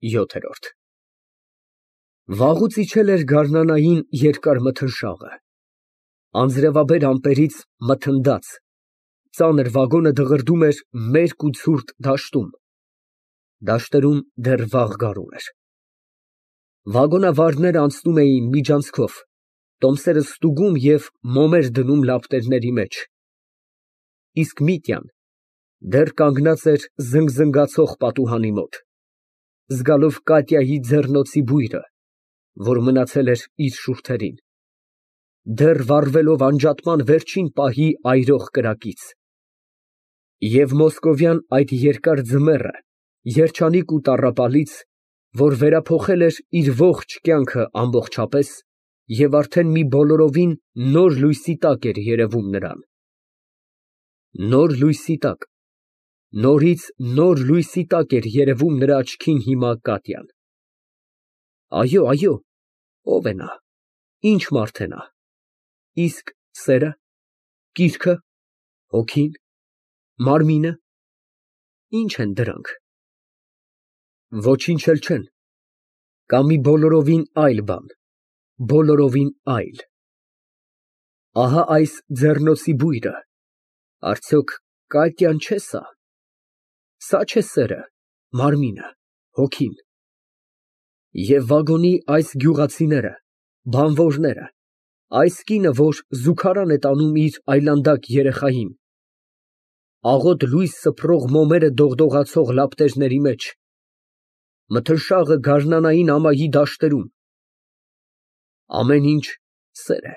ՅՈԹԵՐՈՐԴ Վաղուց իջել էր գարնանային երկար մթնշաղը, անձրևաբեր ամպերից մթնդած, ծանր վագոնը դղրդում էր մերկ ու ցուրտ դաշտում, դաշտերում դեռ վաղ գարուն էր, վագոնավարներն անցնում էին միջանցքով, տոմսերը ստուգում և մոմեր դնում լապտերների մեջ, իսկ Միտյան դեռ կանգնած էր զնգզնգացող պատուհանի մոտ, զգալով Կատյայի ձեռնոցի բույրը, որ մնացել էր իր շուրթերին, դեռ վառվելով անջատման վերջին պահի այրող կրակից, և մոսկովյան այդ երկար ձմեռը, երջանիկ ու տառապալից, որ վերափոխել էր իր ողջ կյանքը ամբողջապես և արդեն մի բոլորովին նոր լույսի տակ էր երևում նրան, նոր լույսի տակ, նորից նոր լույսի տակ էր երևում նրա աչքին հիմա Կատյան, այո, ո՞վ է նա, ինչ մարդ է նա, իսկ սե՞րը, կիրքը, հոգին, մարմինը, ի՞նչ են դրանք, ոչինչ էլ չեն, կա մի բոլորովին այլ բան, բոլորովին այլ, ահա այս ձեռնոցի բույրը, արդյոք Կատյան չէ՞ սա չէ՞ սերը, մարմինը, հոգին, և վագոնի այս գյուղացիները, բանվորները, այս կինը, որ զուգարան է տանում իր այլանդակ երեխային, աղոտ լույս սփռող մոմերը դողդողացող լապտերների մեջ, մթնշաղը գարնանային ամայի դաշտերում, ամեն ինչ սեր է,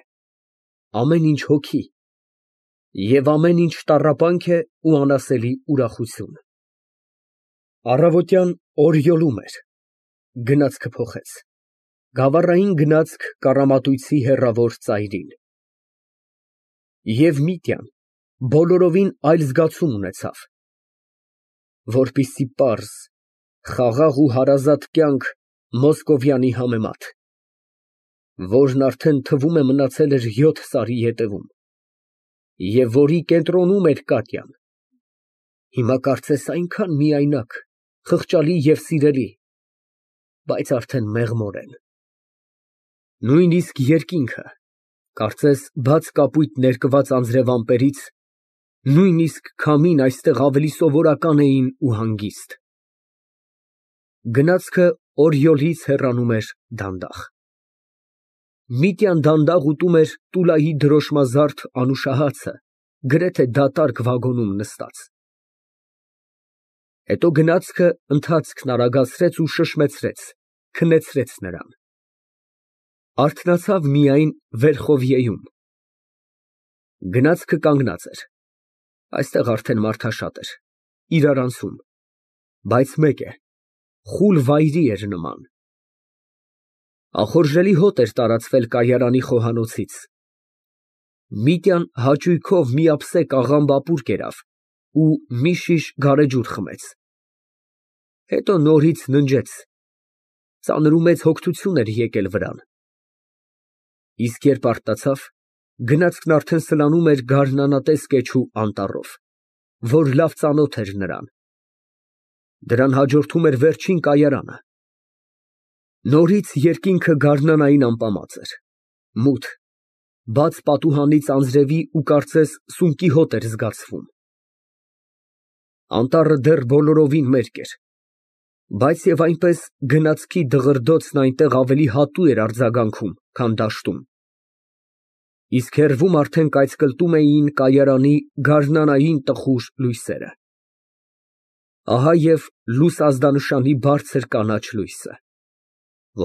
ամեն ինչ հոգի և ամեն ինչ տառապանք է ու անասելի ուրախություն։ Առավոտյան օրիորում էր, գնացքը փոխեց, գավառային գնացք կառամատույցի հեռավոր ծայրին։ Եվ Միտյան բոլորովին այլ զգացում ունեցավ, որպիսի պարզ, խաղաղ ու հարազատ կյանք Մոսկովյանի համեմատ, որն արդեն թվում է մնացել էր 7 սարի ետևում, և որի կենտրոնում էր Կատյան, հիմա կարծես այնքան միայնակ, խղճալի և սիրելի, բայց արդեն մեղմորեն, նույնիսկ երկինքը, կարծես բաց կապույտ ներկված անձրևամպերից, նույնիսկ քամին այստեղ ավելի սովորական էին ու հանգիստ։ Գնացքը Օրիորից հեռանում էր դանդաղ։ Միտյան դանդաղ ուտում էր Տուլայի դրոշմազարդ անուշահացը, գրեթե դատարկ վագոնում նստած։ Հետո գնացքը ընթացքն արագացրեց ու շշմեցրեց, քնեցրեց նրան։ Արթնացավ միայն Վերխովիեում։ Գնացքը կանգնած էր, այստեղ արդեն մարդաշատ էր, իրարանցում, բայց մեկ է, խուլ վայրի էր նման։ Ախորժելի հոտ էր տարածվել կայարանի խոհանոցից։ Միտյան հաճույքով մի ափսե կաղամբապուր կերավ ու մի շիշ գարեջուր խմեց, հետո նորից ննջեց, ծանր ու մեծ հոգնություն էր եկել վրան, իսկ երբ արթնացավ, գնացքն արդեն սլանում էր գարնանատես կեչու անտառով, որ լավ ծանոթ էր նրան, դրան հաջորդում էր վերջին կայարանը, նորից երկինքը գարնանային ամպամած էր, մութ, բաց պատուհանից անձրևի ու կարծես սունկի հոտ էր զգացվում։ Անտառը դեռ բոլորովին մերկ էր, բայց և այնպես գնացքի դղրդոցն այնտեղ ավելի հատու էր արձագանքում, քան դաշտում, իսկ հեռվում արդեն կայծկլտում էին կայարանի գարնանային տխուր լույսերը, ահա և լույս ազդանշանի բարձր կանաչ լույսը,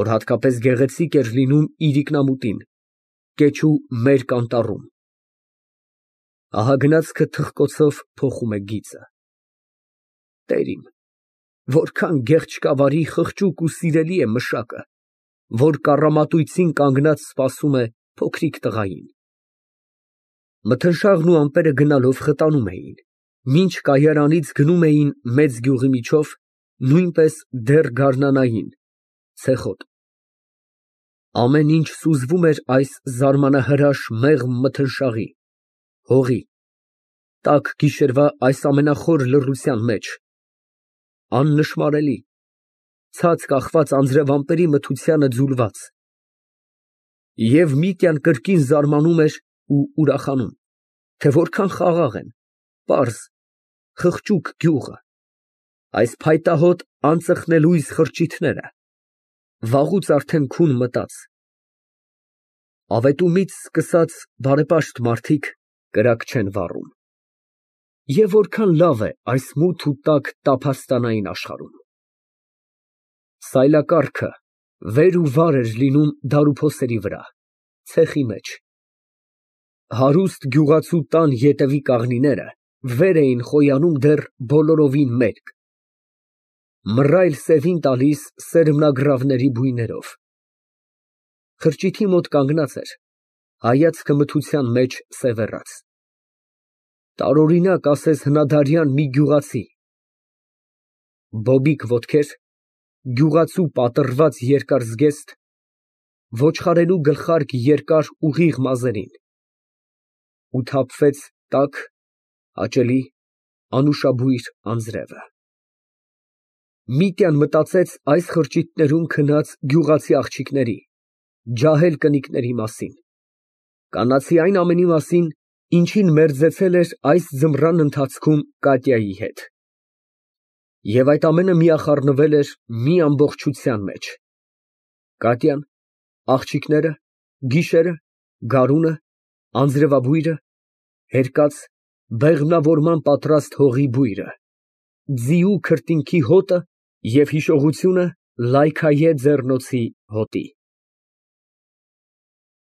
որ հատկապես գեղեցիկ էր լինում իրիկնամուտին, կեչու մերկ անտառում, ահա գնացքը թխկոցով փոխում է գիծը։ Տեր իմ, որքան գեղչկավարի, խղճուկ ու սիրելի է մշակը, որ կառամատույցին կանգնած սպասում է փոքրիկ տղային։ Մթնշաղն ու ամպերը գնալով խտանում էին, մինչ կայարանից գնում էին մեծ գյուղի միջով, նույնպես դեռ գարնանային, ցեխոտ։ Ամեն ինչ սուզվում էր այս զարմանահրաշ մեղմ մթնշաղի, հողի, տաք գիշերվա այս ամենախոր լռության մեջ, աննշմարելի, ցած կախված անձրևամտերի մթությանը ձուլված։ Եվ Միտյան կրկին զարմանում էր ու ուրախանում, թե որքան խաղաղ են, պարզ, խղճուկ գյուղը, այս փայտահոտ անծխնելույզ խրճիթները, վաղուց արդեն քուն մտած։ Ավետումից սկսած բարեպաշտ մարդիկ կրակ չեն վառում։ Եվ որքան լավ է այս մութ ու տաք տափաստանային աշխարհում։ Սայլակառքը վեր ու վար էր լինում դարուփոսերի վրա, ցեխի մեջ։ Հարուստ գյուղացու տան ետևի կաղնիները վեր էին խոյանում դեռ բոլորովին մերկ, մռայլ սևին տալիս սերմնագրավների բույներով։ Խրճիթի մոտ կանգնած էր, հայացքը մթության մեջ սևեռած։ Տարօրինակ ասես հնադարյան մի գյուղացի, բոբիկ ոտքեր, գյուղացու պատռված երկար զգեստ, ոչխարելու գլխարկ երկար ուղիղ մազերին, ու թափվեց տաք, հաճելի, անուշաբույր անձրևը։ Միտյան մտածեց այս խրճիթներում քնած գյուղացի աղջիկների, ջահել կնիկների մասին, կանացի այն ամենի մասին, ինչին մերձեցել էր այս ձմռան ընթացքում Կատյայի հետ։ Եվ այդ ամենը միախառնվել էր մի ամբողջության մեջ. Կատյան, աղջիկները, գիշերը, գարունը, անձրևաբույրը, հերկած, բեղմնավորման պատրաստ հողի բույրը, ձիու քրտինքի հոտը և հիշողությունը լայքայե ձեռնոցի հոտի։